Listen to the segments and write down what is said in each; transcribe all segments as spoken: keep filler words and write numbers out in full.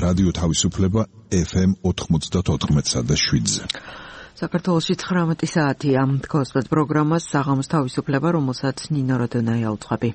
რადიო თავისუფლება ეფ ემ ოთხმოცდაოთხ და შვიდზე. საქართველოში ცხრამეტი საათია. თქოსმეთ პროგრამას საღამოს თავისუფლება, რომელსაც ნინო როდონაია უძღვები.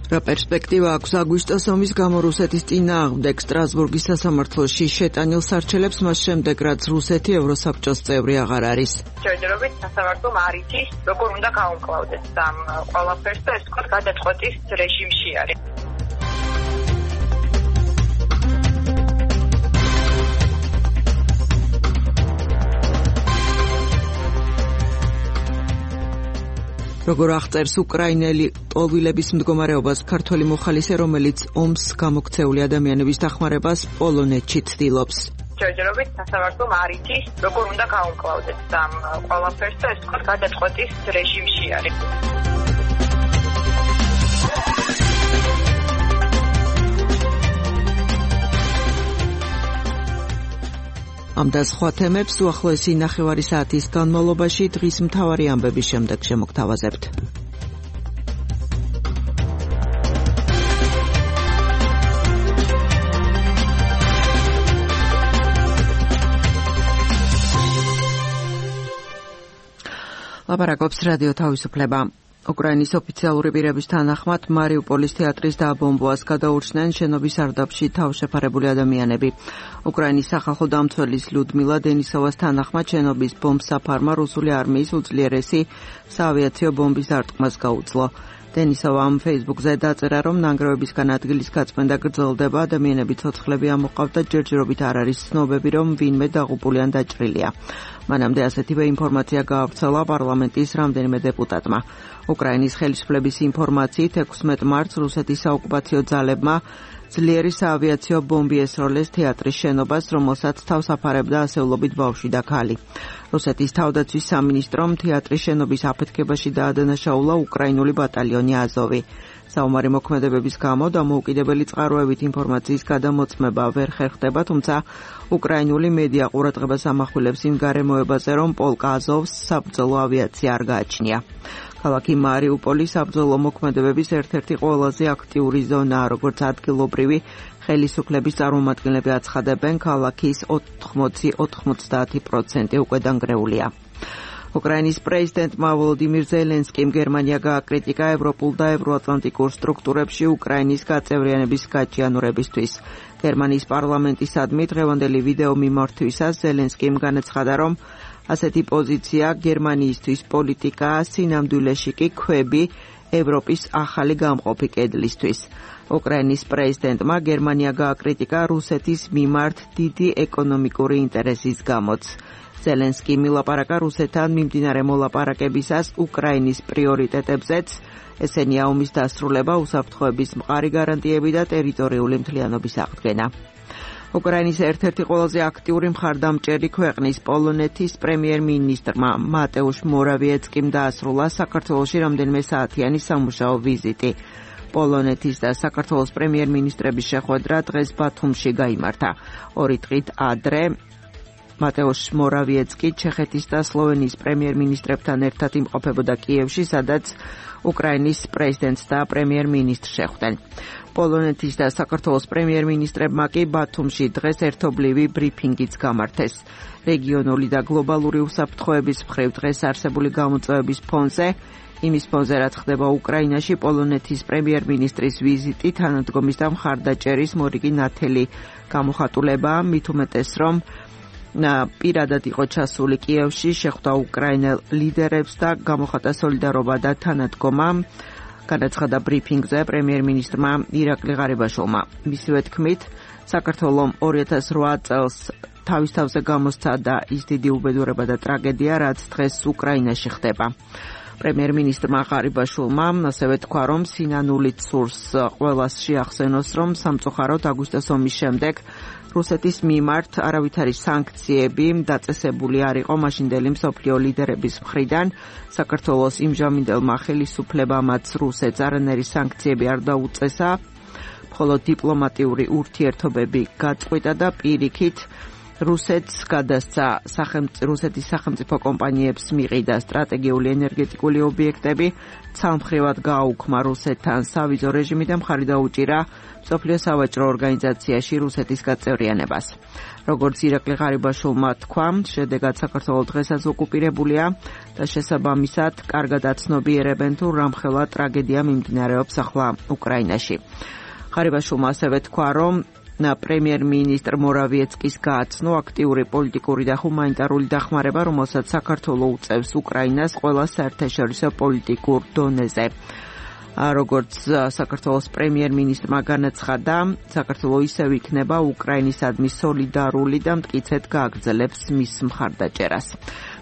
რა პერსპექტივა აქვს აგვისტოს ომის გამო რუსეთის წინააღმდეგ სტრასბურგის სასამართლოში შეტანილ სარჩელებს მას შემდეგ, რაც რუსეთი ევროსაბჭოს წევრი აღარ არის. ჯერჯერობით სასამართლომ არ იცის, როგორ უნდა გაუმკლავდეს ამ ყველაფერს და ეს თქვა გადაწყვეტის რეჟიმში არის. როგორ აღწერს უკრაინელი ტოლვილების მდგომარეობას ქართველი მოხალისე, რომელიც ომს გამოქცეული ადამიანების დახმარებას პოლონეთში ცდილობს. ჯერჯერობით სასამართლომ არ იცის, როგორ უნდა გაუმკლავდეს ამ ყველაფერს და ეს თქვა გადაწყვეტის რეჟიმში არის. ამ და სხვა თემებს უახლოესი ნახევარი საათის განმავლობაში დღის მთავარი ამბების შემდეგ შემოგთავაზებთ. ლაპარაკობს რადიო თავისუფლება. უკრაინის ოფიციალური პირების თანახმად მარიუპოლის თეატრის დააბომბვას გადაურჩნენ შენობის სარდაფში თავშეფარებული ადამიანები. უკრაინის სახალხო დამცველის ლუდმილა დენისოვას თანახმად შენობის ბომბსაფარმა რუსული არმიის უძლიერესი საავიაციო ბომბის დარტყმას გაუძლო. დენისოვა ამ ფეისბუქზე დაწერა, რომ ნანგრევებისგან ადგილის გაწმენდა გრძელდება, ადამიანები ცოცხლები ამოყავთ და ჯერჯერობით არ არის ცნობები, რომ ვინმე დაღუპული ან დაჭრილია. მანამდე ასეთივე ინფორმაცია გაავრცელა პარლამენტის რამდენიმე დეპუტატმა. უკრაინის ხელისუფლების ინფორმაციით ექვსმეტ მარტს რუსეთის საოკუპაციო ძალებმა ძლიერი საავიაციო ბომბი ესროლეს თეატრის შენობას, რომელსაც თავს აფარებდა ასეულობით ბავშვი და ქალი. რუსეთის თავდაცვის სამინისტრომ თეატრის შენობის აფეთქებაში დაადანაშაულა უკრაინული ბატალიონი აზოვი. საომარი მოქმედებების გამო დამოუკიდებელი წყაროებით ინფორმაციის გადამოწმება ვერ ხერხდება, თუმცა უკრაინული მედია ყურადღებას ამახვილებს იმ გარემოებაზე, რომ პოლკ აზოვს საბრძოლო ავიაცია არ გააჩნია. ქალაქი მარიუპოლი საბრძოლო მოქმედებების ერთ-ერთი ყველაზე აქტიური ზონაა, როგორც ადგილობრივი ხელისუფლების წარმომადგენლები აცხადებენ, ქალაქის ოთხმოცი ოცდაათი პროცენტი უკვე დანგრეულია. უკრაინის პრეზიდენტმა ვოლოდიმირ ზელენსკიმ გერმანია გააკრიტიკა ევროპულ და ევროატლანტიკურ სტრუქტურებში უკრაინის გაწევრიანების გაჭიანურებისთვის. გერმანიის პარლამენტისადმი დღევანდელი ვიდეო მიმართვისას ზელენსკიმ განაცხადა, რომ ასეთი პოზიცია გერმანიისთვის პოლიტიკაა, სინამდვილეში კი ქვები ევროპის ახალი გამყოფი კედლისთვის. უკრაინის პრეზიდენტმა გერმანია გააკრიტიკა რუსეთის მიმართ დიდი ეკონომიკური ინტერესის გამოც. ზელენსკიმ ილაპარაკა რუსეთთან მიმდინარე მოლაპარაკებისას უკრაინის პრიორიტეტებზეც, ესენია ომის დასრულება, უსაფრთხოების მყარი გარანტიები და ტერიტორიული მთლიანობის აღდგენა. უკრაინის ერთ-ერთი ყველაზე აქტიური მხარდამჭერი ქვეყნის პოლონეთის პრემიერ-მინისტრმა მატეუშ მორავიეცკიმ დაასრულა საქართველოში რამდენიმე საათიანი სამუშაო ვიზიტი. პოლონეთის და საქართველოს პრემიერ-მინისტრების შეხვედრა დღეს ბათუმში გაიმართა. ორი დღით ადრე მატეუშ მორავიეცკი ჩეხეთის და სლოვენიის პრემიერ-მინისტრებთან ერთად იმყოფებოდა კიევში, სადაც უკრაინის პრეზიდენტს და პრემიერ-მინისტრს შეხვდნენ. პოლონეთის და საქართველოს პრემიერ-მინისტრებმა კი ბათუმში დღეს ერთობლივი ბრიფინგიც გამართეს. რეგიონული და გლობალური უსაფრთხოების მხრივ დღეს არსებული გამოწვევების ფონზე, იმის ფონზე, რაც ხდება უკრაინაში, პოლონეთის პრემიერ-მინისტრის ვიზიტი თანადგომის და მხარდაჭერის მორიგი ნათელი გამოხატულებაა, მით უმეტეს, რომ პირადად იყო ჩასული კიევში, შეხვდა უკრაინელ ლიდერებს და გამოხატა სოლიდარობა და თანადგომა. განაცხადა ბრიფინგზე პრემიერ-მინისტრმა ირაკლი ღარიბაშვილმა. მისივე თქმით, საქართველომ ორი ათას რვა წელს თავის თავზე გამოსცადა ის დიდი უბედურება და ტრაგედია, რაც დღეს უკრაინაში ხდება. პრემიერ-მინისტრმა ღარიბაშვილმა ასევე თქვა, რომ სინანულით სურს ყველას შეახსენოს, რომ სამწუხაროდ აგვისტოს ომის შემდეგ რუსეთის მიმართ არავითარი სანქციები დაწესებული არ იყო მაშინდელი მსოფლიო ლიდერების მხრიდან. საქართველოს იმჟამინდელმა ხელისუფლებამაც რუსეთს არანაირი სანქციები არ დაუწესა, მხოლოდ დიპლომატიური ურთიერთობები გაწყვიტა და პირიქით რუსეთს გადასცა რუსეთის სახელმწიფო კომპანიებს მიყიდა სტრატეგიული ენერგეტიკული ობიექტები, ცალმხრივად გააუქმა რუსეთთან სავიზო რეჟიმი და მხარი დაუჭირა მსოფლიო სავაჭრო ორგანიზაციაში რუსეთის გაწევრიანებას. როგორც ირაკლი ღარიბაშვილმა თქვა, შედეგად საქართველო დღესაც ოკუპირებულია და შესაბამისად კარგად აცნობიერებენ თუ რამხელა ტრაგედია მიმდინარეობს ახლა უკრაინაში. ღარიბაშვილმა ასევე თქვა, რომ პრემიერ-მინისტრ მორავიეცკის გააცნო აქტიური პოლიტიკური და ჰუმანიტარული დახმარება, რომელსაც საქართველო უწევს უკრაინას ყველა საერთაშორისო პოლიტიკურ დონეზე. როგორც საქართველოს პრემიერ-მინისტრმა განაცხადა, საქართველო ისევ იქნება უკრაინისადმი სოლიდარული და მტკიცედ გააგრძელებს მის მხარდაჭერას.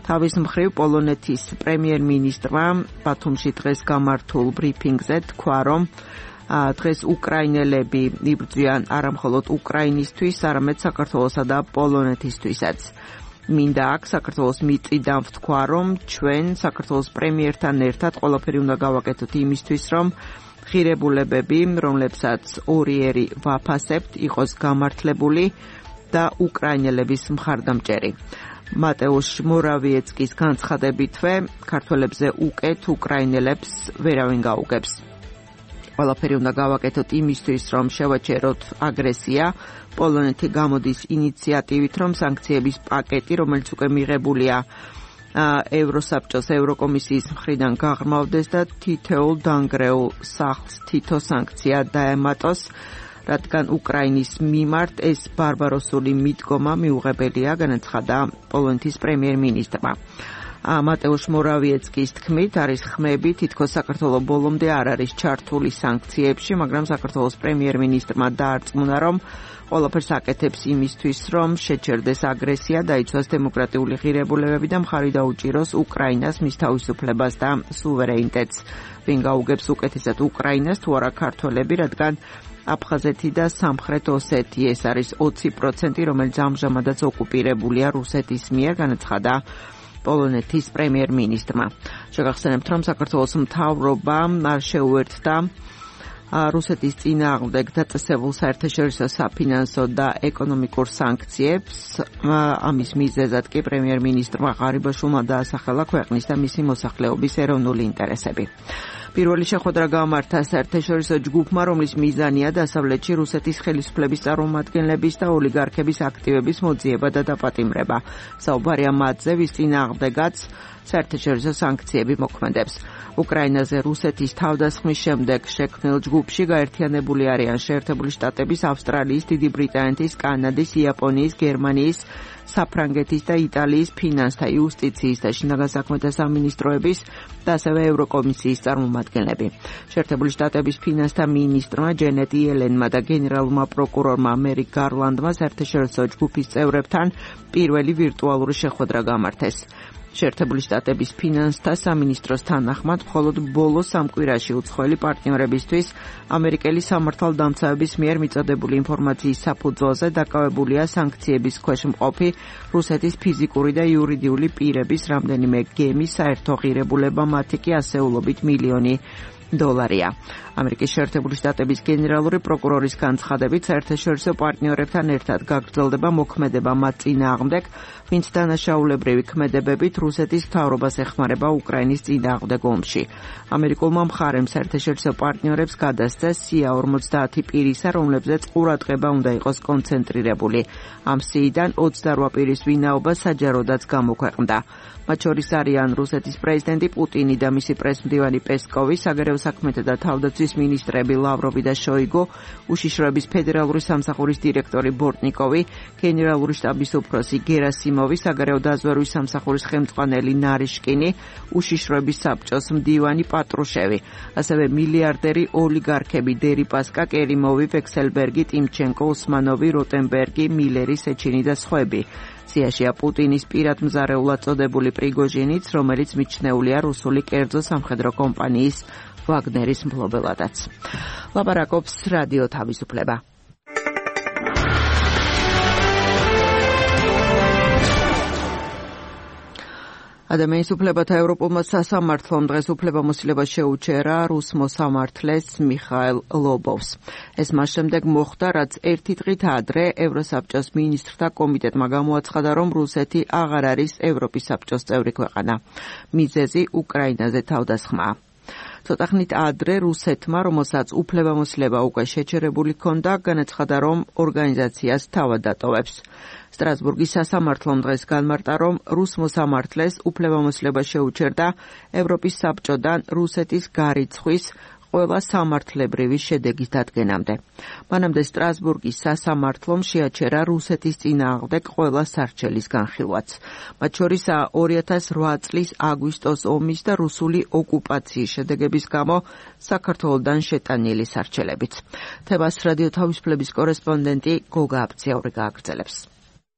თავის მხრივ პოლონეთის პრემიერ-მინისტრმა ბათუმში დღეს გამართულ ბრიფინგზე თქვა, რომ დღეს უკრაინელები იბრძვიან არა მხოლოდ უკრაინისთვის, არამედ საქართველოსა და პოლონეთისთვისაც. მინდა აქ საქართველოს მიწიდან ვთქვა, რომ ჩვენ საქართველოს პრემიერთან ერთად ყველაფერი უნდა გავაკეთოთ იმისთვის, რომ ღირებულებები, რომლებსაც ორიერი ვაფასებთ, იყოს გამართლებული და უკრაინელების მხარდამჭერი. მატეუშ მორავიეცკის განცხადებითვე, ქართველებზე უკეთ უკრაინელებს ვერავინ გაუგებს. ყველაფერი უნდა გავაკეთოთ იმისთვის, რომ შევაჩეროთ აგრესია. პოლონეთი გამოდის ინიციატივით, რომ სანქციების პაკეტი, რომელიც უკვე მიღებულია ევროსაბჭოს ევროკომისიის მხრიდან გაღრმავდეს და თითოეულ დანგრეულ სახლს თითო სანქცია დაემატოს, რადგან უკრაინის მიმართ ეს ბარბაროსული მიდგომა მიუღებელია, განაცხადა პოლონეთის პრემიერ-მინისტრმა. მატეუშ მორავიეცკის თქმით, არის ხმები, თითქოს საქართველო ბოლომდე არ არის ჩართული სანქციებში, მაგრამ საქართველოს პრემიერ-მინისტრმა დაარწმუნა, რომ ყველაფერს აკეთებს იმისთვის, რომ შეჩერდეს აგრესია, დაიცვას დემოკრატიული ღირებულებები და მხარი დაუჭიროს უკრაინას, მის თავისუფლებას და სუვერენიტეტს. ვინ გაუგებს უკეთესად უკრაინას, თუ არა ქართველები, რადგან აფხაზეთი და სამხრეთ ოსეთი ეს არის ოცი პროცენტი, რომელიც ამჟამადაც ოკუპირებულია რუსეთის მიერ, განაცხადა პოლონეთის პრემიერ-მინისტრმა. შეგახსენებთ, რომ საქართველოს მთავრობამ არ შეუერთდა რუსეთის წინააღმდეგ დაწესებულ საერთაშორისო საფინანსო და ეკონომიკურ სანქციებს. ამის მიზეზად კი პრემიერ-მინისტრმა ღარიბაშვილმა დაასახელა ქვეყნის და მისი მოსახლეობის ეროვნული ინტერესები. პირველი შეხვედრა გამართა საერთაშორისო ჯგუფმა, რომლის მიზანია დასავლეთში რუსეთის ხელისუფლების წარმომადგენლების და ოლიგარქების აქტივების მოძიება და დაპატიმრება. საუბარია მათზე, ვის წინააღმდეგაც საერთაშორისო სანქციები მოქმედებს. უკრაინაზე რუსეთის თავდასხმის შემდეგ შექმნილ ჯგუფში გაერთიანებული არიან შეერთებული შტატების, ავსტრალიის, დიდი ბრიტანეთის, კანადის, იაპონიის, გერმანიის, საფრანგეთის და იტალიის ფინანსთა, იუსტიციის და შინაგან საქმეთა სამინისტროების და ასევე ევროკომისიის წარმომადგენლები. შეერთებული შტატების ფინანსთა მინისტრმა ჯენეტ იელენმა და გენერალურმა პროკურორმა მერი გარლანდმა საერთაშორისო ჯგუფის წევრებთან პირველი ვირტუალური შეხვედრა გამართეს. შეერთებული შტატების ფინანსთა სამინისტროს თანახმად, მხოლოდ ბოლო სამ კვირაში უცხოელი პარტნიორებისთვის ამერიკელი სამართალდამცავების მიერ მიწოდებული ინფორმაციის საფუძველზე დაკავებულია სანქციების ქვეშ მყოფი რუსეთის ფიზიკური და იურიდიული პირების რამდენიმე გემის საერთო ღირებულება, მათი კი ასეულობით მილიონი დოლარია. ამერიკის შეერთებული შტატების გენერალური პროკურორის განცხადებით, საერთაშორისო პარტნიორებთან ერთად გაგრძელდება მოქმედება მათ წინააღმდეგ, ვინც დანაშაულებრივი ქმედებებით რუსეთის მთავრობას ეხმარება უკრაინის წინააღმდეგ ომში. ამერიკულმა მხარემ საერთაშორისო პარტნიორებს გადასცეს სია ორმოცდაათი პირისა, რომლებზეც ყურადღება უნდა იყოს კონცენტრირებული. ამ სიიდან ოცდარვა პირის ვინაობა საჯაროდაც გამოქვეყნდა. მათ შორის არიან რუსეთის პრეზიდენტი პუტინი და მისი პრესმდივანი პესკოვი, საგარეო საქმეთა და თავდაცვის მინისტრები ლავროვი და შოიგუ, უშიშროების ფედერალური სამსახურის დირექტორი ბორტნიკოვი, გენერალური შტაბის უფროსი გერასიმოვი, საგარეო დაზვერვის სამსახურის ხელმძღვანელი ნარიშკინი, უშიშროების საბჭოს მდივანი პატრუშევი, ასევე მილიარდერი ოლიგარქები დერიპასკა, კერიმოვი, ვექსელბერგი, ტიმჩენკო, ოსმანოვი, როტენბერგი, მილერი, სეჩინი და სხვები. სიაშია პუტინის პირად მზარეულად წოდებული პრიგოჟინიც, რომელიც მიჩნეულია რუსული კერძო სამხედრო კომპანიის ვაგნერის მფლობელადაც. ლაპარაკობს რადიო თავისუფლება. ადამიანის უფლებათა ევროპულმა სასამართლომ დღეს უფლებამოსილება შეუჩერა რუს მოსამართლეს მიხაილ ლობოვს. ეს მას შემდეგ მოხდა, რაც ერთი დღით ადრე ევროსაბჭოს მინისტრთა კომიტეტმა გამოაცხადა, რომ რუსეთი აღარ არის ევროპის საბჭოს წევრი ქვეყანა. მიზეზი უკრაინაზე თავდასხმაა. ცოტა ხნით ადრე რუსეთმა, რომელსაც უფლებამოსილება უკვე შეჩერებული ჰქონდა, განაცხადა, რომ ორგანიზაციას თავად დატოვებს. სტრასბურგის სასამართლომ დღეს განმარტა, რომ რუს მოსამართლეს უფლებამოსილება შეუჩერდა ევროპის საბჭოდან რუსეთის გარიცხვის ყველა სამართლებრივი შედეგის დადგენამდე. მანამდე სტრასბურგის სასამართლომ შეაჩერა რუსეთის წინააღმდეგ ყველა სარჩელის განხილვაც. მათ შორისაა ორი ათას რვა წლის აგვისტოს ომის და რუსული ოკუპაციის შედეგების გამო საქართველოდან შეტანილი სარჩელებიც. თებას რადიო თავისუფლების კორესპონდენტი გოგა აბციაური გააგრძელებს.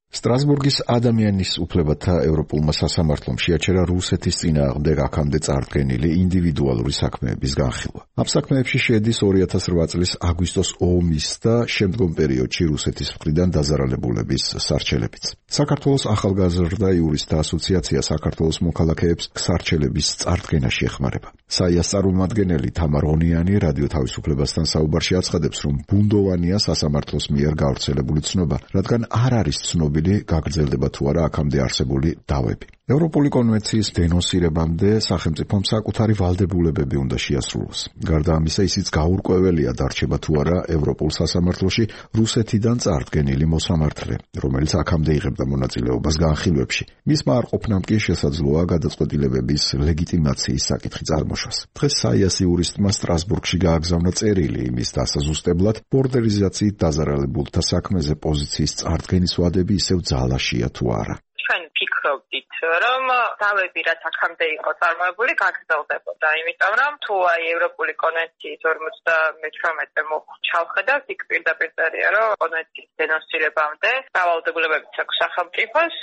სტრასბურგის ადამიანის უფლებათა ევროპულმა სასამართლომ შეაჩერა რუსეთის წინააღმდეგ აქამდე წარდგენილი ინდივიდუალური საქმეების განხილვა. ამ საქმეებში შედის ორი ათას რვა წლის აგვისტოს ომის და შემდგომ პერიოდში რუსეთის მხრიდან დაზარალებულების სარჩელებიც. საქართველოს ახალგაზრდა იურისტთა ასოციაცია საქართველოს მოქალაქეებს სარჩელების წარდგენაში ეხმარება. საიას წარმომადგენელი თამარ ონიანი რადიო თავისუფლებასთან საუბარში აცხადებს, რომ ბუნდოვანია სასამართლოს მიერ გავრცელებული ცნობა, რადგან არ არის ცნობილი გაგრძელდება თუ არა აქამდე არსებული დავები. ევროპული კონვენციის დენონსირებამდე სახელმწიფომ საკუთარი ვალდებულებები უნდა შეასრულოს. გარდა ამისა, ისიც გაურკვეველია დარჩება თუ არა ევროპულ სასამართლოში რუსეთიდან წარდგენილი მოსამართლე, რომელიც აქამდე იღებდა მონაწილეობას განხილვებში. მისმა არ ყოფნამ კი შესაძლოა გადაწყვეტილებების ლეგიტიმაციის საკითხი წარმოშვას. დღეს საიას იურისტმა სტრასბურგში გააგზავნა წერილი იმის დასაზუსტებლად, ბორდერიზაციით დაზარალებულთა საქმეზე პოზიციის წარდგენის ვადები ისევ ძალაშია თუ არა. ჩვენ ფიქრობდით, რომ დავები რაც აქამდე იყო წარმოებული გაგრძელდებოდა, იმიტომ რომ თუ აი ევროპული კონვენციის ორმოცდამეთვრამეტე ჩავხედავთ, იქ პირდაპირ წერია, რომ კონვენციის დენონსირებამდე დავალდებულებებიც აქვს სახელმწიფოს,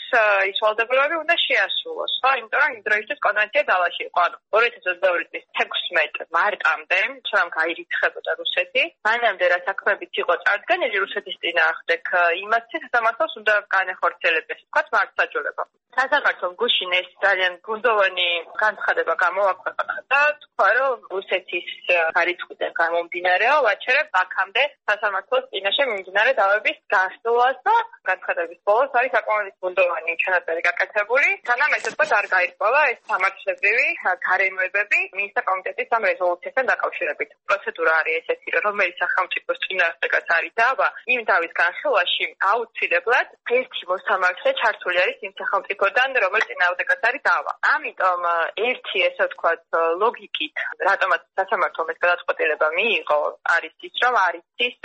ის ვალდებულებები უნდა შეასრულოს, ხო? იმიტომ რომ იმ დროისთვის კონვენცია ძალაში იყო. ანუ ორი ათას ოცდაორი წლის თექვსმეტ მარტამდე, სანამ გაირიცხებოდა რუსეთი, მანამდე რა საქმეებიც იყო წარდგენილი რუსეთის წინააღმდეგ, იმას სასამართლოს უნდა განეხორციელებდეს, თქვათ მართლმსაჯულება. სასამართლომ გუშინ ეს ძალიან ბუნდოვანი განცხადება გამოაქვეყნა და თქვა, რომ რუსეთის გარიცხვიდან გამომდინარეო ვაჩერებ აქამდე სასამართლოს წინაშე მიმდინარე დავების გასვლას და განცხადების ბოლოს არის საკმაოდ ბუნდოვანი ჩანაწერი გაკეთებული. სანამ ესე თქვა არ გაირკვევა ეს სამართლებრივი გარემოებები მინისტრთა კომიტეტის ამ რეზოლუციასთან დაკავშირებით. პროცედურა არის ესეთი, რომელიც სახელმწიფოს წინააღმდეგაც არის დავა, იმ დავის განხილვაში აუცილებლად ერთი მოსამართლე ჩართული არის იმ სახელმწიფოდან, რომელიც წინააღმდეგაც არის დავა. ამიტომ ერთი ესე ვთქვათ ლოგიკით, რატომაც სასამართლომ ეს გადაწყვეტილება მიიღო, არის ის, რომ არ იცის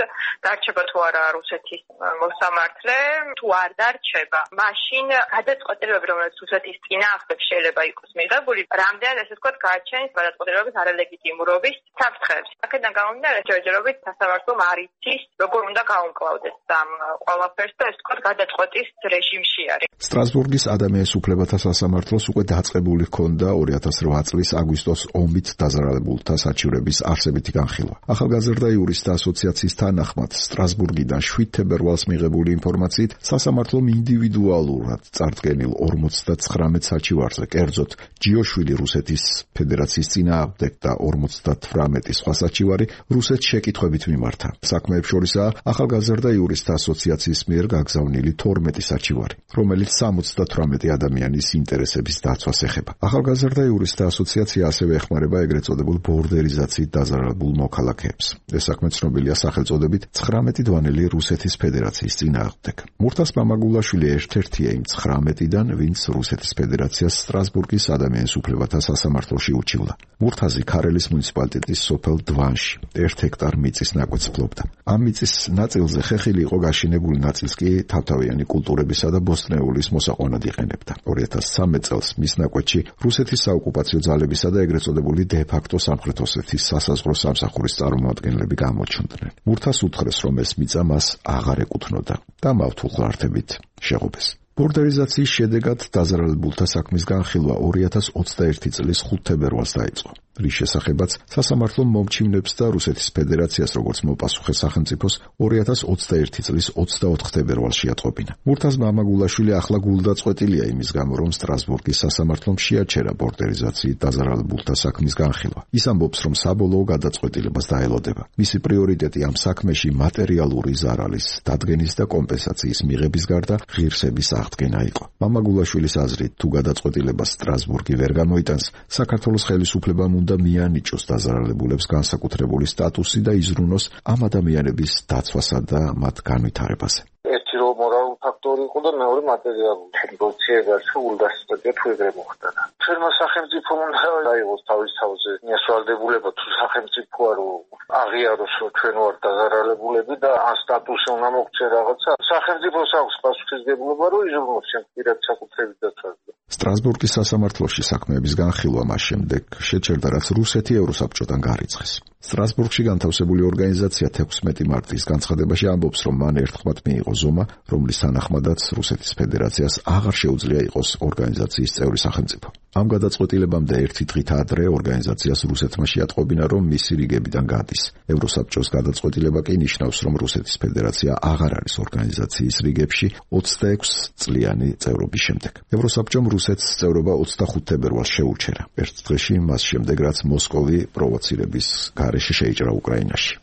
დარჩება თუ არა რუსეთის მოსამართლე, თუ არ დარჩება, მაშინ გადაწყვეტილებები, რომელიც რუსეთის წინააღმდეგ შეიძლება იყოს მიღებული, რამდენად ესე ვთქვათ გააჩენს გადაწყვეტილებების არალეგიტიმურობის საფრთხეებს. აქედან გამომდინარე, ჯერჯერობით სასამართლომ არ იცის, როგორ უნდა გაუმკლავდეს ამ ყველაფერს და ესე ვთქვათ გადაწყვეტის რეჟიმში არის. სტრასბურგის ადამიანის უფლებათა სასამართლოს უკვე დაწყებული ჰქონდა ორი ათას რვა წლის აგვისტოს ომით დაზარალებულთა საჩივრების არსებითი განხილვა. ახალგაზრდა იურისტთა ასოციაციის თანახმად სტრასბურგიდან შვიდ თებერვალს მიღებული ინფორმაციით სასამართლომ ინდივიდუალურად წარდგენილ ორმოცდათხრამეტ საჩივარზე, კერძოდ ჯიოშვილი რუსეთის ფედერაციის წინააღმდეგ და ორმოცდათვრამეტი სხვა საჩივარი რუსეთს შეკითხვებით მიმართა. საქმეებს შორისაა ახალგაზრდა იურისტთა ასოციაციის მიერ გაგზავნილი თორმეტი საჩივარი, რომელიც სამოცდათვრამეტი ადამიანის ინტერესების დაცვას ეხება. ახალგაზრდა იურისტთა ასოციაცია ასევე ეხმარება ეგრეთ წოდებულ ბორდერიზაციით დაზარალებულ მოქალაქეებს. ეს საქმე ცნობილია სახელწოდებით ცხრამეტი დვანელი რუსეთის ფედერაციის წინააღმდეგ. მურთას მამაგულაშვილი ერთ-ერთია იმ ცხრამეტიდან, ვინც რუსეთის ფედერაციას სტრასბურგის ადამიანის უფლებათა სასამართლოში უჩივდა. მურთაზი ქარელის მუნიციპალიტეტის სოფელ დვანში ერთ ჰექტარ მიწის ნაკვეთს ფლობდა. ამ მიწის ნაწილზე ხეხილი იყო გაშენებული, ნაწილს კი თავთავიანი კულტურებისა და ბოსტნეულის მოსაყვანად იყენებდა. ორი ათას სამი წელს მის ნაკვეთში რუსეთის საოკუპაციო ძალებისა და ეგრეთ წოდებული დე-ფაქტო სამხრეთ ოსეთის სასაზღვრო სამსახურის წარმომადგენლები გამოჩნდნენ. მურთას უთხრეს, რომ ეს მიწა მას აღარ ეკუთვნოდა და მავთულ ღართებით შეღობეს. ბორდერიზაციის შედეგად დაზარალებულთა საქმის განხილვა ორი ათას ოცდაერთი წლის ხუთ თებერვალს დაიწყო. რის შესახებაც სასამართლომ მომჩივნებს და რუსეთის ფედერაციას როგორც მოპასუხე სახელმწიფოს ორი ათას ოცდაერთი წლის ოცდაოთხ თებერვალში ატყობინა. მურთაზ მამაგულაშვილი ახლა გულდაწყვეტილია იმის გამო, რომ სტრასბურგის სასამართლომ შეაჩერა ბორდერიზაციით დაზარალებულთა საქმის განხილვა. ის ამბობს, რომ საბოლოო გადაწყვეტილებას დაელოდება. მისი პრიორიტეტი ამ საქმეში მატერიალური ზარალის დადგენის და კომპენსაციის მიღების გარდა ღირსების აღდგენა იყო. მამაგულაშვილის აზრით, თუ გადაწყვეტილებას სტრასბურგი ვერ გამოიტანს, საქართველოს ხელისუფლებამ უნდა მიანიჭოს დაზარალებულებს განსაკუთრებული სტატუსი და იზრუნოს ამ ადამიანების დაცვასა და მათ განვითარებაზე. ერთი რომ მორალური ფაქტორი იყო და მეორე მატერიალური. ნეგოციება სულდასწრებია თუ ეგრე მოხდა. ჩვენმა სახელმწიფომ უნდა დაიღოს თავის თავზე მიასვალდებულება თუ სახელმწიფო არ აღიაროს რომ ჩვენ ვართ დაზარალებულები და ამ სტატუსი უნდა მოგცე რაღაცა. სახელმწიფოს აქვს პასუხისმგებლობა რომ იზრუნოს ჩემ პირად საკუთრების დაცვაზე. სტრასბურგის სასამართლოში საქმეების განხილვა მას შემდეგ შეჩერდა, რაც რუსეთი ევროსაბჭოდან გარიცხეს. სტრასბურგში განთავსებული ორგანიზაცია თექვსმეტი მარტის განცხადებაში ამბობს, რომ მან ერთხმად მიიღო ზომა, რომლის თანახმადაც რუსეთის ფედერაციას აღარ შეუძლია იყოს ორგანიზაციის წევრი სახელმწიფო. ამ გადაწყვეტილებამდე ერთი დღით ადრე ორგანიზაციას რუსეთმა შეატყობინა, რომ მისი რიგებიდან გადის. ევროსაბჭოს გადაწყვეტილება კი ნიშნავს, რომ რუსეთის ფედერაცია აღარ არის ორგანიზაციის რიგებში ოცდაექვსი წლიანი წევრობის შემდეგ. ევროსაბჭომ რუსეთს წევრობა ოცდახუთ თებერვალს შეუჩერა. ერთ დღეში მას შემდეგ, რაც მოსკოვი პროვოცირების გარეშე შეიჭრა უკრაინაში.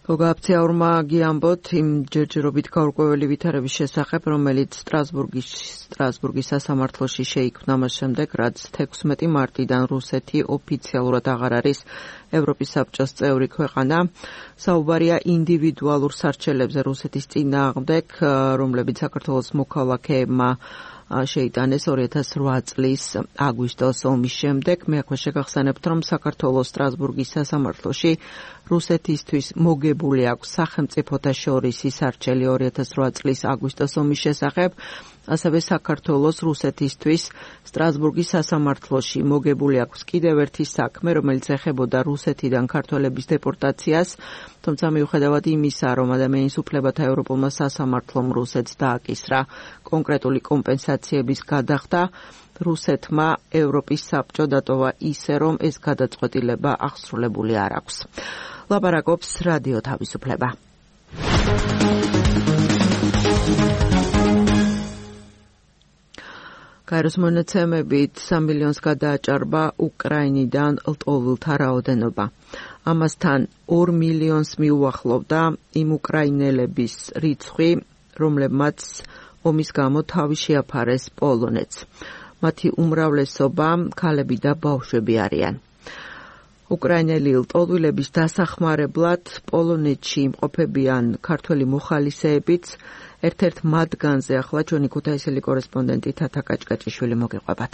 გოგაფციაურმა გიამბოთ იმ ჯერჯერობით გაურკვეველი ვითარების შესახებ, რომელიც სტრასბურგის სტრასბურგის სასამართლოში შეიქმნა მას შემდეგ, რაც თექვსმეტი მარტიდან რუსეთი ოფიციალურად აღარ არის ევროპის საბჭოს წევრი ქვეყანა. საუბარია ინდივიდუალურ სარჩელებზე რუსეთის წინააღმდეგ, რომლებიც საქართველოს მოქალაქეებმა შეიტანეს ორი ათას რვა წლის აგვისტოს ომის შემდეგ. მე აქვე შეგახსენებთ, რომ საქართველოს სტრასბურგის სასამართლოში რუსეთისთვის მოგებული აქვს სახელმწიფოთა შორის ისარჩელი ორი ათას რვა წლის აგვისტოს ომის შესახებ. ასევე საქართველოს რუსეთისთვის სტრასბურგის სასამართლოში მოგებული აქვს კიდევ ერთი საქმე, რომელიც ეხებოდა რუსეთიდან ქართველების დეპორტაციას, თუმცა მიუხედავად იმისა, რომ ადამიანის უფლებათა ევროპულმა სასამართლომ რუსეთს დააკისრა კონკრეტული კომპენსაციების გადახდა, რუსეთმა ევროპის საბჭო დატოვა ისე, რომ ეს გადაწყვეტილება აღსრულებული არ აქვს. ლაპარაკობს რადიო თავისუფლება. გაეროს მონაცემებით სამ მილიონს გადააჭარბა უკრაინიდან ლტოლვილთა რაოდენობა. ამასთან ორ მილიონს მიუახლოვდა იმ უკრაინელების რიცხვი, რომლებმაც ომის გამო თავი შეაფარეს პოლონეთს. მათი უმრავლესობა ქალები და ბავშვები არიან. უკრაინელი ლტოლვილების დასახმარებლად პოლონეთში იმყოფებიან ქართველი მოხალისეებიც. ერთ-ერთ მათგანზე ახლა ჩვენი ქუთაისელი კორესპონდენტი თათა კაჭკაჭიშვილი მოგიყვებათ.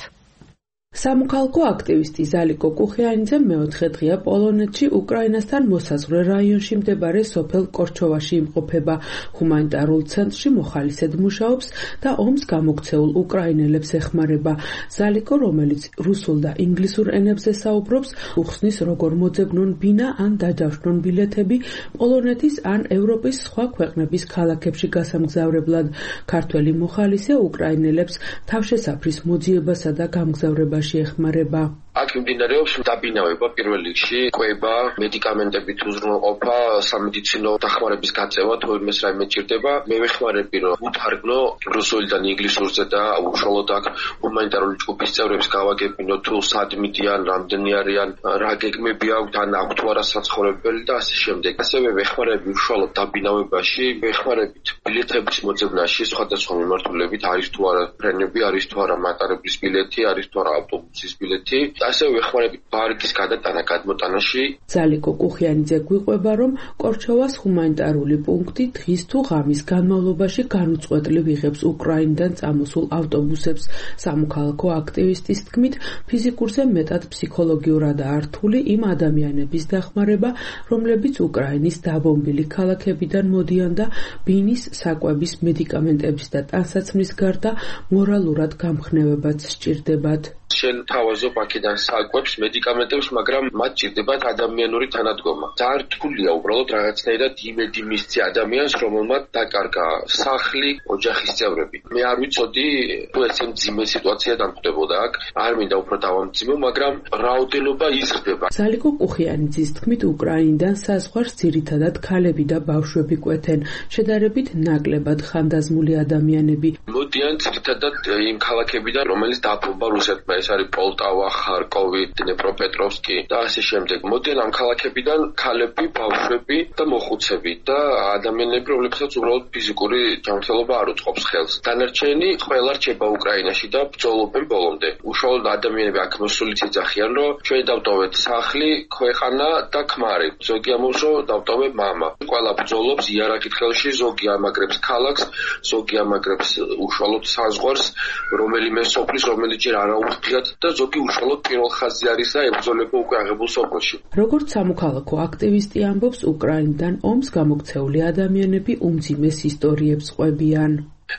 სამოქალაქო აქტივისტი ზალიკო კუხიანიძე მეოთხე დღეა პოლონეთში უკრაინასთან მოსაზღვრე რაიონში მდებარე სოფელ კორჩოვაში იმყოფება. ჰუმანიტარულ ცენტრში მოხალისედ მუშაობს და ომს გამოქცეულ უკრაინელებს ეხმარება. ზალიკო, რომელიც რუსულ და ინგლისურ ენებზე საუბრობს, უხსნის როგორ მოძებნონ ბინა ან დაჯავშნონ ბილეთები პოლონეთის ან ევროპის სხვა ქვეყნების ქალაქებში გასამგზავრებლად. ქართველი მოხალისე უკრაინელებს თავშესაფრის მოძიებასა და გამგზავრებას ეხმარება. აქ მიმდინარეობს დაბინავება პირველ რიგში, კვება, მედიკამენტებით უზრუნველყოფა, სამედიცინო დახმარების გაწევა, თუ იმეს რაიმე ჭირდება. მე ვეხმარები, რომ უთარგმნო რუსულიდან ინგლისურზე და უშუალოდ აქ ჰუმანიტარული ჯგუფის წევრებს გავაგებინო, თუ სად მიდიან, რამდენი არიან, რა გეგმები აქვთ, ან აქვთ თუ არა საცხოვრებელი და ასე შემდეგ. ასევე ვეხმარები უშუალოდ დაბინავებაში, ვეხმარებით ბილეთების მოძებნაში, სხვადასხვა მიმართულებით, არის თუ არა ფრენები, არის თუ არა მატარებლის ბილეთი, არის თუ არა ავტობუსის ბილეთი. ასევე ვეხმარებით ბარგის გადატანა გადმოტანაში. ზალიკო კუხიანიძე გვიყვება, რომ კორჩოვას ჰუმანიტარული პუნქტი დღის თუ ღამის განმავლობაში განუწყვეტლივ იღებს უკრაინიდან წამოსულ ავტობუსებს. სამოქალაქო აქტივისტის თქმით, ფიზიკურზე მეტად ფსიქოლოგიურადაა რთული იმ ადამიანების დახმარება, რომლებიც უკრაინის დაბომბილი ქალაქებიდან მოდიან და ბინის, საკვების, მედიკამენტების და ტანსაცმლის გარდა მორალურად გამხნევებაც სჭირდებათ. შენ თავაზობ აქედან საკვებს, მედიკამენტებს, მაგრამ მათ ჭირდებათ ადამიანური თანადგომა. ძალიან რთულია უბრალოდ რაღაცნაირად იმედი მისცი ადამიანს, რომელმაც დაკარგა სახლი, ოჯახის წევრები. მე არ ვიცოდი, თუ ესე მძიმე სიტუაცია დამხვდებოდა აქ, არ მინდა უფრო დავამძიმო, მაგრამ რაოდენობა იზრდება. სალიკო კუხიანიძის თქმით, უკრაინიდან საზღვარს ძირითადად ქალები და ბავშვები კვეთენ, შედარებით ნაკლებად ხანდაზმული ადამიანები. მოდიან ძირითადად იმ ქალაქებიდან, რომელიც დაბომბა რუსეთმა, ეს არის პოლტავა, ხარკოვი, დნეპროპეტროვსკი და ასე შემდეგ. მოდიან ამ ქალაქებიდან ქალები, ბავშვები და მოხუცები და ადამიანები, რომლებსაც უბრალოდ ფიზიკური ჯანმრთელობა არ უწყობს ხელს. დანარჩენი ყველა რჩება უკრაინაში და ბრძოლობენ ბოლომდე. უშუალოდ ადამიანები აქ მოსულიც იძახიან, რომ ჩვენ დავტოვეთ სახლი, ქვეყანა და ქმარი. ზოგი ამბობს, რომ დავტოვებ მამა. ყველა ბრძოლობს იარაღით ხელში, ზოგი ამაგრებს ქალაქს, ზოგი ამაგრებს უშუალოდ საზღვარს, რომელიმე სოფლის, რომელიც ჯერ არაუხდიათ და ზოგი უშუალოდ პირველ ხაზზე არის და ებრძოლება უკვე აღებულ სოფელში. როგორც სამოქალაქო აქტივისტი ამბობს, უკრაინიდან ომს გამოქცეული ადამიანები უმძიმეს ისტორიებს ყვებიან.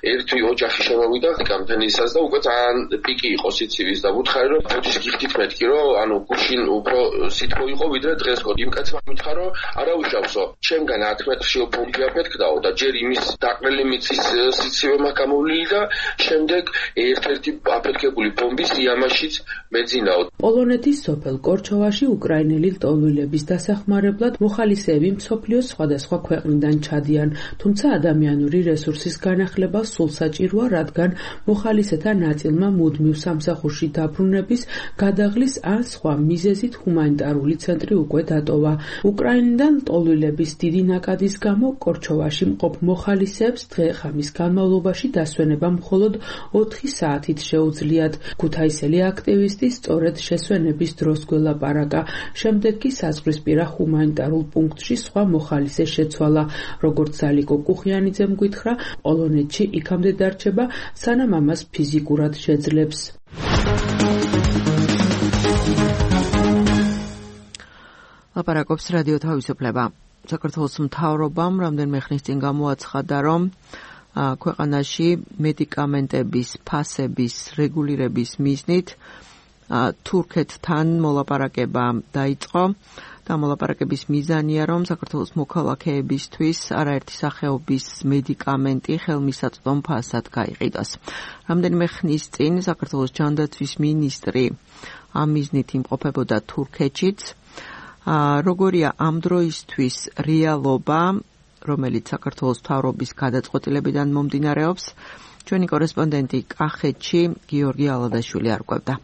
ერთი ოჯახი შემოვიდა კამპანიისას და უკვე ძალიან პიკი იყო სიცივის და ვუთხარი რომ ფოთის გიხდით მეთქი რომ ანუ გუშინ უფრო სითბო იყო ვიდრე დღეს ხო იმ კაცმა მითხრა რომ არა უშავსო ჩემგან ათ მეტრში ბომბი აფეთქდაო და ჯერ იმის დაყრელი მიწის სიცივე მაქვს გამოვლილი და შემდეგ ერთ-ერთი აფეთქებული ბომბის იამაშიც მეძინაო. პოლონეთის სოფელ კორჩოვაში უკრაინელი ლტოლვილების დასახმარებლად მოხალისეები მსოფლიოს სხვადასხვა ქვეყნიდან ჩადიან, თუმცა ადამიანური რესურსის განახლება სულ საჭიროა, რადგან მოხალისეთა ნაწილმა მუდმივ სამსახურში დაბრუნების, გადაღლის ან სხვა მიზეზით ჰუმანიტარული ცენტრი უკვე დატოვა. უკრაინიდან ლტოლვილების დიდი ნაკადის გამო კორჩოვაში მყოფ მოხალისეებს დღე-ღამის განმავლობაში დასვენება მხოლოდ ოთხი საათით შეუძლიათ. ქუთაისელი აქტივისტი სწორედ შესვენების დროს გველაპარაკა, შემდეგ კი საზღვრისპირა ჰუმანიტარულ პუნქტში სხვა მოხალისე შეცვალა. როგორც სალიკო კუხიანიძემ გითხრა, პოლონეთში იქამდე დარჩება, სანამ ამას ფიზიკურად შეძლებს. ლაპარაკობს რადიო თავისუფლება. საქართველოს მთავრობამ რამდენიმე ხნის წინ გამოაცხადა, რომ ქვეყანაში მედიკამენტების ფასების რეგულირების მიზნით თურქეთთან მოლაპარაკება დაიწყო. და მოლაპარაკების მიზანია, რომ საქართველოს მოქალაქეებისთვის არაერთი სახეობის მედიკამენტი ხელმისაწვდომ ფასად გაიყიდოს. რამდენიმე ხნის წინ საქართველოს ჯანდაცვის მინისტრი ამ მიზნით იმყოფებოდა თურქეთშიც. როგორია ამ დროისთვის რეალობა, რომელიც საქართველოს მთავრობის გადაწყვეტილებიდან მომდინარეობს, ჩვენი კორესპონდენტი კახეთში გიორგი ალადაშვილი არკვევდა.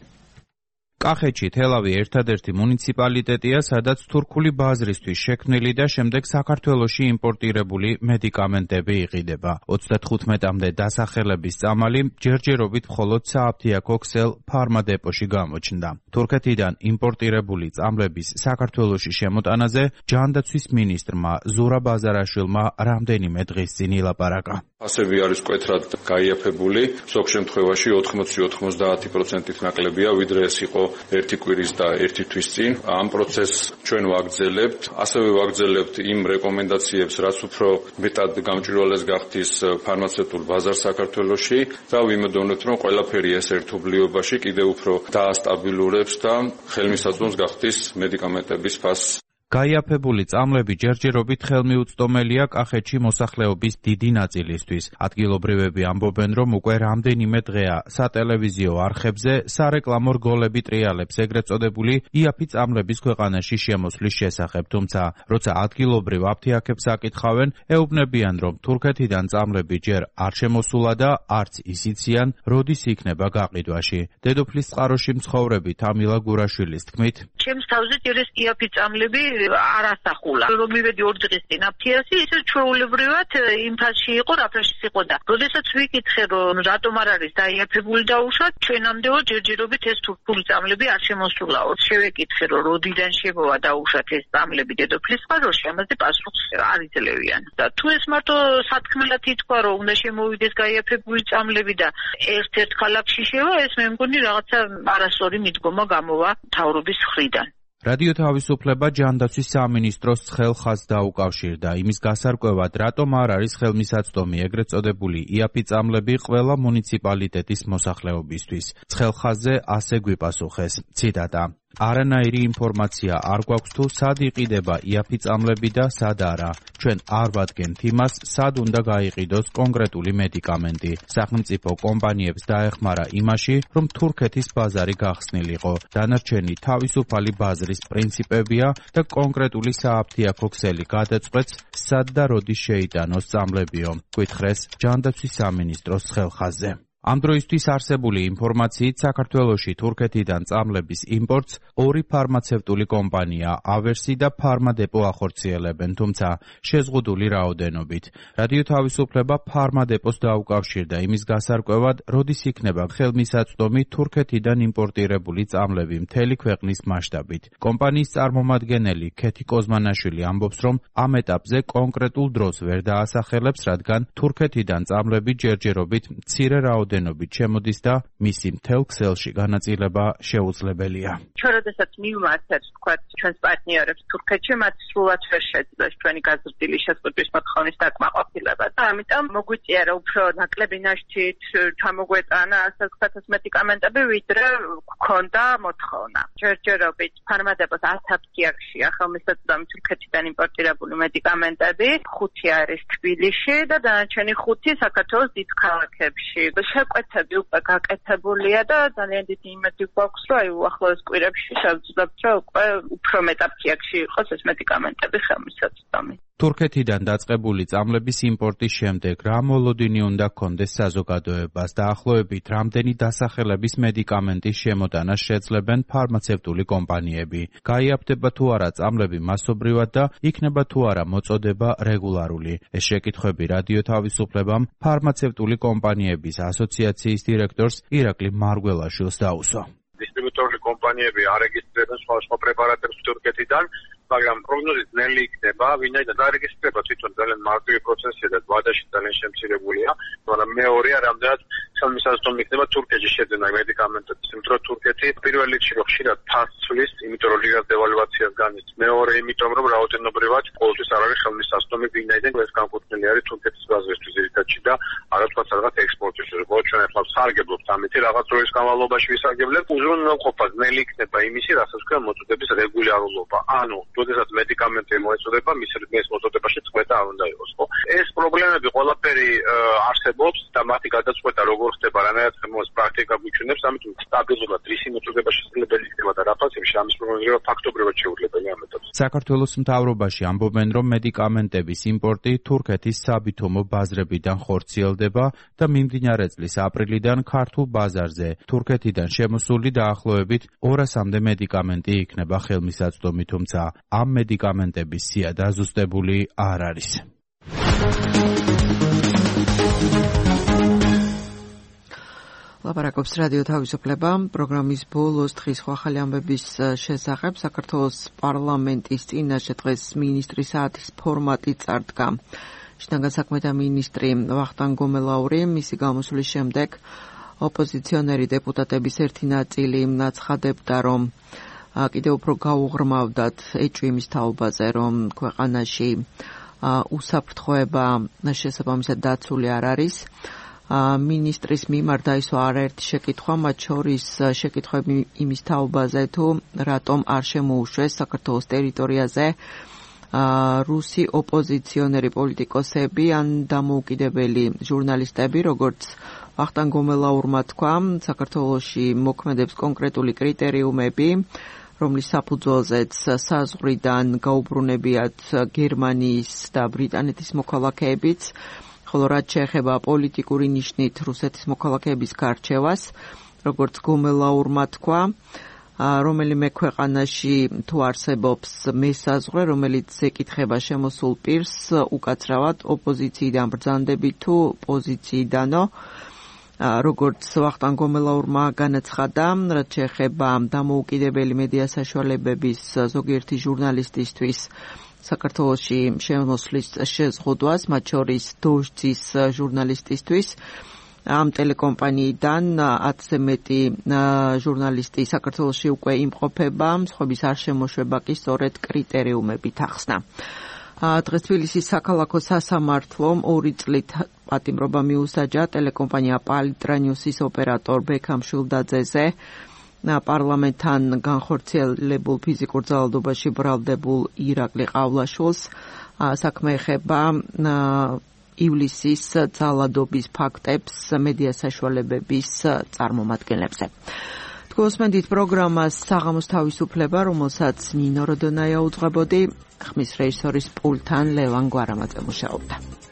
კახეთში თელავი ერთადერთი მუნიციპალიტეტია, სადაც თურქული ბაზრისთვის შექმნილი და შემდეგ საქართველოში იმპორტირებული მედიკამენტები იყიდება. ოცდათხუთმეტამდე დასახელების წამალი ჯერჯერობით მხოლოდ სააფთიაქო ქსელ ფარმადეპოში გამოჩნდა. თურქეთიდან იმპორტირებული წამლების საქართველოში შემოტანაზე ჯანდაცვის მინისტრმა ზურაბ აზარაშვილმა რამდენიმე დღის წინ ილაპარაკა. ფასები არის მკვეთრად გაიაფებული, ზოგ შემთხვევაში ოთხმოცი ოცდაათი პროცენტით ნაკლებია, ვიდრე ეს იყო ერთი კვირის და ერთი თვის წინ. ამ პროცესს ჩვენ ვაგრძელებთ, ასევე ვაგრძელებთ იმ რეკომენდაციებს, რაც უფრო მეტად გამჭვირვალეს გახდის ფარმაცევტულ ბაზარს საქართველოში და ვიმედოვნებთ, რომ ყველაფერი ეს ერთობლიობაში კიდევ უფრო დაასტაბილურებს და ხელმისაწვდომს გახდის მედიკამენტების ფასს. გაიაფებული წამლები ჯერჯერობით ხელმიუწვდომელია კახეთში მოსახლეობის დიდი ნაწილისთვის. ადგილობრივები ამბობენ, რომ უკვე რამდენიმე დღეა სატელევიზიო არხებზე სარეკლამო რგოლები ტრიალებს ეგრეთ წოდებული იაფი წამლების ქვეყანაში შემოსვლის შესახებ, თუმცა როცა ადგილობრივ აფთიაქებს აკითხავენ, ეუბნებიან, რომ თურქეთიდან წამლები ჯერ არ შემოსულა და არც ისიციან, როდის იქნება გაყიდვაში. დედოფლის წყაროში მცხოვრები თამილა გურაშვილის თქმით, ჩემს თავზე ჯერ ეს იაფი წამლები არასახულა. რომ მივედი ორ დღის წინ აფთიასი, ისე ჩვეულებრივად იმ ფასში იყო, რა ფაშიც იყო და როდესაც ვიკითხე, რომ რატომ არ არის დაიაფებული დაუშვათ, ჩვენამდეო ჯერჯერობით ეს თურქული წამლები არ შემოსულაო. შევეკითხე, რომ როდიდან შემოვა დაუშვათ ეს წამლები დედოფლის წყაროში, ამაზე პასუხს არ იძლევიან. და თუ ეს მარტო სათქმელად ითქვა, რომ უნდა შემოვიდეს გაიაფებული წამლები და ერთ-ერთ ქალაქში შევა, ეს მე მგონი რაღაცა არასწორი მიდგომა გამოვა მთავრობის მხრიდან. რადიო თავისუფლება ჯანდაცვის სამინისტროს ცხელ-ხაზს დაუკავშირდა იმის გასარკვევად, რატომ არ არის ხელმისაწვდომი ეგრეთ წოდებული იაფი წამლები ყველა მუნიციპალიტეტის მოსახლეობისთვის. ცხელ-ხაზზე ასე გვიპასუხეს. ციტატა: არანაირი ინფორმაცია არ გვაქვს თუ სად იყიდება იაფი წამლები და სად არა. ჩვენ არ ვადგენთ იმას, სად უნდა გაიყიდოს კონკრეტული მედიკამენტი. სახელმწიფო კომპანიებს დაეხმარა იმაში, რომ თურქეთის ბაზარი გახსნილიყო. დანარჩენი თავისუფალი ბაზრის პრინციპებია და კონკრეტული სააფთიაქო ქსელი გადაწყვეტს, სად და როდის შეიტანოს წამლებიო. გვითხრეს ჯანდაცვის სამინისტროს ცხელ-ხაზზე. ამ დროისთვის არსებული ინფორმაციით საქართველოში თურქეთიდან წამლების იმპორტს ორი ფარმაცევტული კომპანია ავერსი და ფარმადეპო ახორციელებენ, თუმცა შეზღუდული რაოდენობით. რადიო თავისუფლება ფარმადეპოს დაუკავშირდა იმის გასარკვევად, როდის იქნება ხელმისაწვდომი თურქეთიდან იმპორტირებული წამლები მთელი ქვეყნის მასშტაბით. კომპანიის წარმომადგენელი ქეთი კოზმანაშვილი ამბობს, რომ ამ ეტაპზე კონკრეტულ დროს ვერ დაასახელებს, რადგან თურქეთიდან წამლები ჯერჯერობით მცირე რაოდენობით დენობით შემოდის და მისი მთელ ქსელში განაწილება შეუძლებელია. ჩვენ როდესაც მივმართეთ, ვთქვათ, ჩვენს პარტნიორებს თურქეთში, მათ სრულად ვერ შეძლეს ჩვენი გაზრდილი შეზღუდვის მოთხოვნის დაკმაყოფილება და ამიტომ მოგვიწია, რომ უფრო ნაკლები ნაშთით ჩამოგვეტანა ასე ვთქვათ მედიკამენტები, ვიდრე გქონდა მოთხოვნა. ჯერჯერობით ფარმადეპოს ათ აფთიაქში ხელმისაწვდომი თურქეთიდან იმპორტირებული მედიკამენტები, ხუთი არის თბილისში და დანარჩენი ხუთი საქართველოს დიდ ქალაქებში. შეკვეთები უკვე გაკეთებულია და ძალიან დიდი იმედი გვაქვს, რომ აი უახლოეს კვირებში შევძლებთ, რომ უკვე უფრო მეტ აფთიაქში იყოს ეს მედიკამენტები ხელმისაწვდომი. თურქეთიდან დაწყებული წამლების იმპორტის შემდეგ რა მოლოდინი უნდა ჰქონდეს საზოგადოებას, დაახლოებით რამდენი დასახელების მედიკამენტის შემოტანას შეძლებენ ფარმაცევტული კომპანიები. გაიაფდება თუ არა წამლები მასობრივად და იქნება თუ არა მოწოდება რეგულარული. ეს შეკითხვები რადიო თავისუფლებამ ფარმაცევტული კომპანიების ასოციაციის დირექტორს ირაკლი მარგველაშვილს დაუსვა. დისტრიბუტორული კომპანიები არეგისტრირებენ სხვა პრეპარატებს თურქეთიდან, მაგრამ პროგნოზით ნელი იქნება, ვინაიდან დარეგისტრება თვითონ ძალიან მარტივი პროცესია და ვადაში ძალიან შემცირებულია, მაგრამ მეორეა, რამდენად ხელმისაწვდომი იქნება თურქეთში შეძენა მედიკამენტების, იმიტომ რომ თურქეთი პირველ რიგში ხშირად თასს ცვლის, იმიტომ რომ ლირას დევალვაციას განიცდის. მეორე, იმიტომ რომ რაოდენობრივად ყოველთვის არ არის ხელმისაწვდომი, ვინაიდან ეს განკუთვნილი არის თურქეთის ბაზრისთვის ძირითადში და არა თქვა რაღაც ექსპორტში. როგორც ჩვენ ახლა სარგებლობთ ამით, რაღაც დროის განმავლობაში ვისარგებლებთ, უზრუნველყოფა ნელი იქნება იმისი, რასაც ქვია მოწოდების რეგულარულობა. ანუ როდესაც მედიკამენტი მოეწოდება, მის მის მოწოდებაში წყვეტა არ უნდა იყოს, ხო? ეს პრობლემები ყველაფერი არსებობს და მათი გადაწყვეტა როგორ ხდება, რანაირად ხმოს პრაქტიკა გვიჩვენებს, ამიტომ სტაბილურად რისი მოწოდება შესაძლებელი იქნება და რა ფასებში ამის პროგნოზირება ფაქტობრივად შეუძლებელი ამ ეტაპზე. საქართველოს მთავრობაში ამბობენ, რომ მედიკამენტების იმპორტი თურქეთის საბითუმო ბაზრებიდან ხორციელდება და მიმდინარე წლის აპრილიდან ქართულ ბაზარზე თურქეთიდან შემოსული დაახლოებით ორასამდე მედიკამენტი იქნება ხელმისაწვდომი, თუმცა ამ მედიკამენტების სია დაზუსტებული არ არის. ლაპარაკობს რადიო თავისუფლება. პროგრამის ბოლოს დღის ახალი ამბების შესახებ საქართველოს პარლამენტის წინაშე დღეს მინისტრის საათის ფორმატი წარდგა. შინაგან საქმეთა მინისტრი ვახტანგ გომელაური მისი გამოსვლის შემდეგ ოპოზიციონერი დეპუტატების ერთი ნაწილი აცხადებდა, რომ კიდევ უფრო გაუღრმავდათ ეჭვი თაობაზე, რომ ქვეყანაში უსაფრთხოება შესაბამისად დაცული არ არის. მინისტრის მიმართ დაისვა არაერთი შეკითხვა, მათ შორის შეკითხვები იმის თაობაზე, თუ რატომ არ შემოუშვეს საქართველოს ტერიტორიაზე რუსი ოპოზიციონერი პოლიტიკოსები ან დამოუკიდებელი ჟურნალისტები, როგორც ვახტანგ გომელაურმა თქვა, საქართველოში მოქმედებს კონკრეტული კრიტერიუმები, რომლის საფუძველზეც საზღვრიდან გაუბრუნებიათ გერმანიის და ბრიტანეთის მოქალაქეებიც, ხოლო რაც შეეხება პოლიტიკური ნიშნით რუსეთის მოქალაქეების გარჩევას, როგორც გომელაურმა თქვა, რომელიმე ქვეყანაში თუ არსებობს მესაზღვრე, რომელიც ეკითხება შემოსულ პირს უკაცრავად ოპოზიციიდან ბრძანდებით თუ პოზიციიდანო, როგორც ვახტანგ გომელაურმა განაცხადა, რაც შეეხება დამოუკიდებელი მედია საშუალებების ზოგიერთი ჟურნალისტისთვის საქართველოში შემოსვლის შეზღუდვას, მათ შორის დოჟძის ჟურნალისტისთვის, ამ ტელეკომპანიიდან ათზე მეტი ჟურნალისტი საქართველოში უკვე იმყოფება, მსხვების არ შემოშვება კი სწორედ კრიტერიუმებით ახსნა. დღეს თბილისის საქალაქო სასამართლომ ორი წლით პატიმრობა მიუსაჯა ტელეკომპანია პალიტრა ნიუსის ოპერატორ ბექამ შულდაძეზე პარლამენტთან განხორციელებულ ფიზიკურ ძალადობაში ბრალდებულ ირაკლი ყავლაშვილს. საქმე ეხება ივლისის ძალადობის ფაქტებს მედია საშუალებების წარმომადგენლებზე. თქვენსმენდით პროგრამას საღამოს თავისუფლება, რომელსაც ნინო როდონაია უძღვებოდი, ხმის რეჟისორის პულტთან ლევან გვარამაძე მუშაობდა.